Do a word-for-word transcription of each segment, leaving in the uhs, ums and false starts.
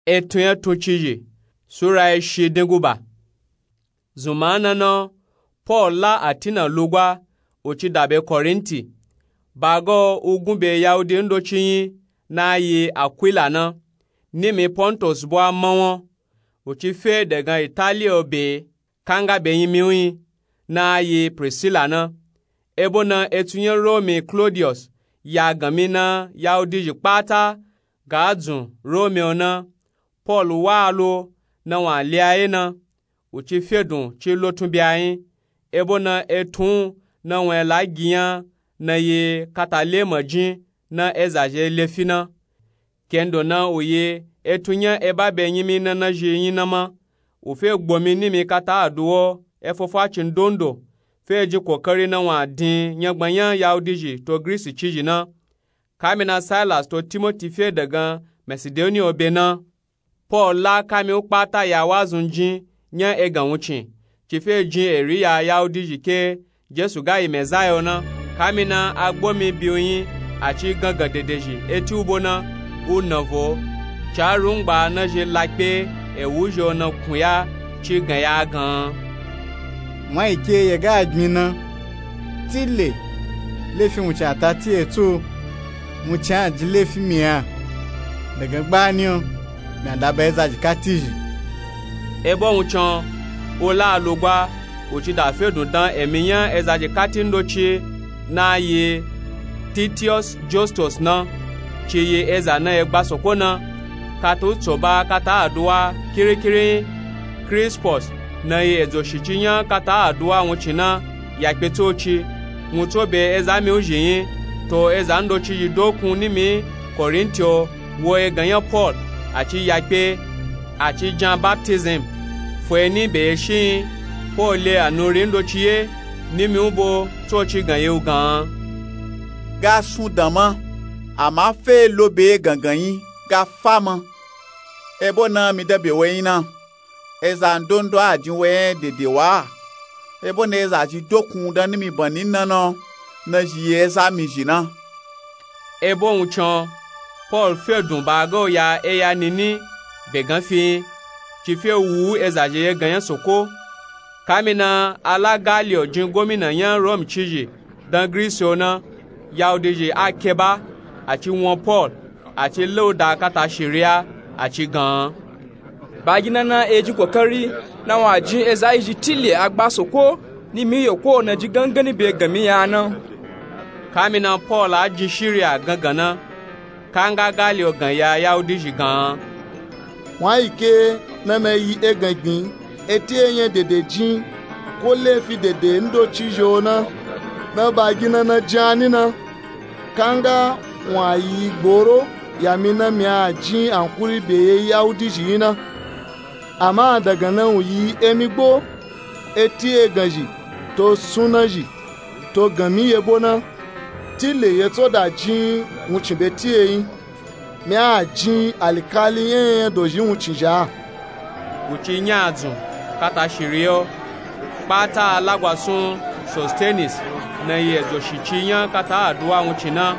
Etun nya tun cizhi sura ya shi denguba. Zunma na na, Pol la Atina lugwa, u ci da be Korinti. Ba ga u gun be Yahudi ndoci nyi na yi Akwila na, nimi Pontus bwa mawon. U ci fe dagan Italiya be, kanga be nyimi u nyi na yi Prisila na. Ebo na etun nya Romi Klodiyos ya ganmi na Yahudi zhi kpata ga dzun Romi o na, Pol wa lo na won le a ye na, u ci fedun ci lotun be a nyi. Ebo na etun na won la gi nya na yi kata le majin na eza zhi lefi na. Kendo na u yi etun nya eba be nyimi na na zhi nyi na ma. U fe gbo mi nimi kata aduwo efofo a cin dondo, fe jin kokari na won din nyagban nya Yahudi zhi to Grisi cizhi na. Kami na Silas to Timoti fe dagan Masidoniya be na, Pol la kami u kpata ya wazun jin nya egan wuncin, ci fe jin eri ya Yahudi zhi ke Jesu ga yi Mezaya o na. Kami na a gbo mi bi u nyi, a ci gangan dede zhi eti u bo na, u na vo. Ca rungba na zhi la kpe ewu zhi o na kun ya ci gan ya gan. Won yi ke ye ga gbin na, tile lefi wuncin a ta ti e tso, wuncin a jin lefi mi a. Dagan gbani o, mi a da ba eza zhi kati zhi. Ebo wuncin o, u la lugwa, u ci da fedun dan emi nya eza zhi kati ndoci na yi Titiyos Justus na, ci yi eza na ye gba soko na. Kata u tso ba kata aduwa kirikiri nyi, Krispus na yi edzo shici nya kata aduwa wuncin na ya kpe tsoci. Wun tso be eza mi u zhi nyi, to eza ndoci zhi dokun nimi Korinti o wo egan nya Pol, a ci ya kpe, a ci jan baptism. Fo eni be ye shi nyi, Pol le anuri ndoci ye nimi u bo tsoci gan ye u gan. Ga sun dan ma, ama fe lo be gangan nyi ga fa ma. Ebo na mi da be we nyi na, eza ndondo a jin we nya dede wa. Ebo na eza zhi dokun dan nimi banni na na, na zhi yi eza mi zhi na. Ebo wuncin o, Pol fedun ba ga u ya eya nini be gan fi nyi, ci fe wu eza zhi ye gan nya soko. Kami na a la Galiyo jin gomina nya Romi cizhi dan Grisi o na, Yahudi zhi a keba, a ci won Pol, a ci le u da kata shiriya, a ci gan. Ba gin na na e jin kokari na won a jin eza yi zhi tile a gba soko, nimi yeko na jin gangani be ganmi ya na. Kami na Pol a jin shiriya gangan na, kanga Galiyo gan ya Yahudi zhi gan. Won yi ke na na yi egan gbin eti enya dede jin, ko lefi dede ndoci zhi o na, na ba gin na na jin a ni na. Kanga won a yi gboro ya mi na mi a jin ankuri be ye Yahudi zhi nyi na. Ama dagan na wun yi emi gbo eti egan zhi to sunna zhi to ganmi yebo na, tile ye tso da jin wuncin be ti e nyi. Mi a jin alikali nya enya dozhi wuncin zha. U ci nya adzun kata shiriya o. Kpata a lagwa sun Sostenis na yi edzo shici nya kata aduwa wuncin na,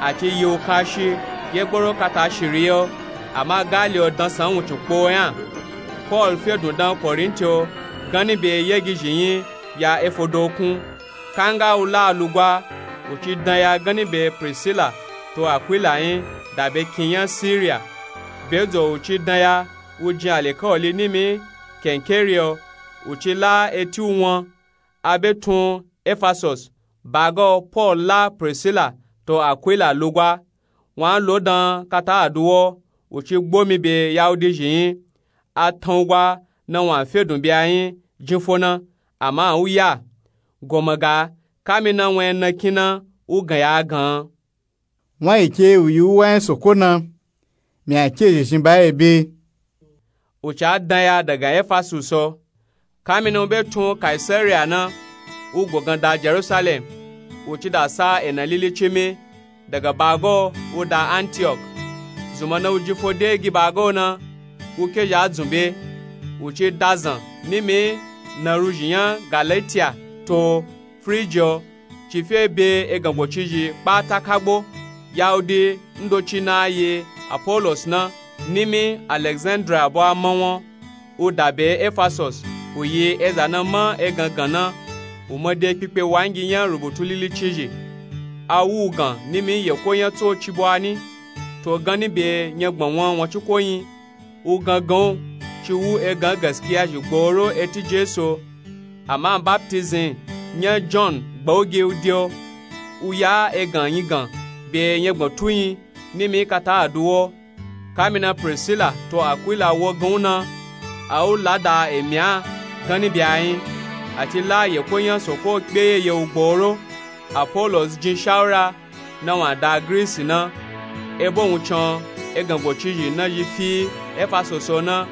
a ci yi u kashi ye gboro kata shiriya o. Ama Galiyo dansan wuncin kpo nya. Pol fedun dan Korinti o ganni be yegi zhi nyi ya efodokun. Kanga u la lugwa, u ci dan ya ganni be Prisila to Akwila nyi da be kin nya Siriya. Be dzo u ci dan ya, u jin alikawali nimi Kenkeriya o, u ci la eti u won. A be tun Efasos, ba ga o Pol la Prisila to Akwila lugwa. Won a lo dan kata aduwa o, u ci gbo mi be Yahudi zhi nyi. A tan u gwa na won a fedun be a nyi jin fo na, ama a u ya. Goma ga, kami na won nya na kin na u gan ya gan. Won yi ke u yi u wa nya soko na, mi a ke zhi zhin ba ye be. U ca dan ya dagan Efasus o. Kami na u be tun Kaisariya na, u gbogan da Jerusalem, u ci da sa ena lili cimi, daga ba ga o u da Antiyok. Zunma na u jin fo de gi ba ga o na, u ke zhi a dzun be, u ci da zan nimi na ruzhi nya Galatiya to Frijiya o, ci fe be egan go cizhi kpata kagbo. Yahudi ndoci na yi Apolos na, Nimi alexandria bwa mawon, u dabe efasos, u yi eza na ma egangan na, u made kpikpe wangi nya rubutu lili cizhi. A wu u gan nimi yeko nya tso ci bwa ni, to ganni be nyagban wan wanciko nyi. U gangan u ci wu egan gaskiya zhi gboro eti jesu. Ama baptism nya john gbauge u de o. U ya egan nyi gan be nyagban tu nyi, nimi kata a du wo. Kamina prisila to akwila wo gan u na, a u lada emi a ganni be a nyi. A ci la yeko nya soko kpe yeye u gboro. Apolos jin shawura na wun a da grisi na, ebo wun can egan gocizhi na zhi fi efasoso na,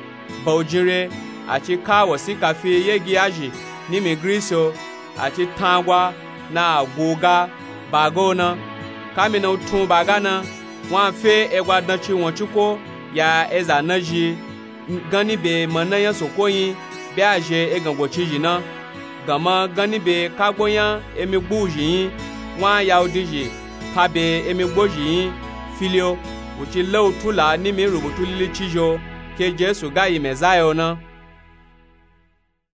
ba u jin re. A ci ka wasika fi yegiya zhi nimi grisi o. A ci tangwa na a gu u ga baga o na. Kamina u tun u baga na, wun a fe egwa danci wanciko ya eza na zhi ganni be mana nya soko nyi be a zhe egan gocizhi na. Ganma ganni be kagbo nya emi gbu zhi nyi, wun a yahudi zhi pa be emi gbo zhi nyi fili o. U ci la u tula nimi rubutu lili cizhi o, ke jesu ga yi mezaya o na.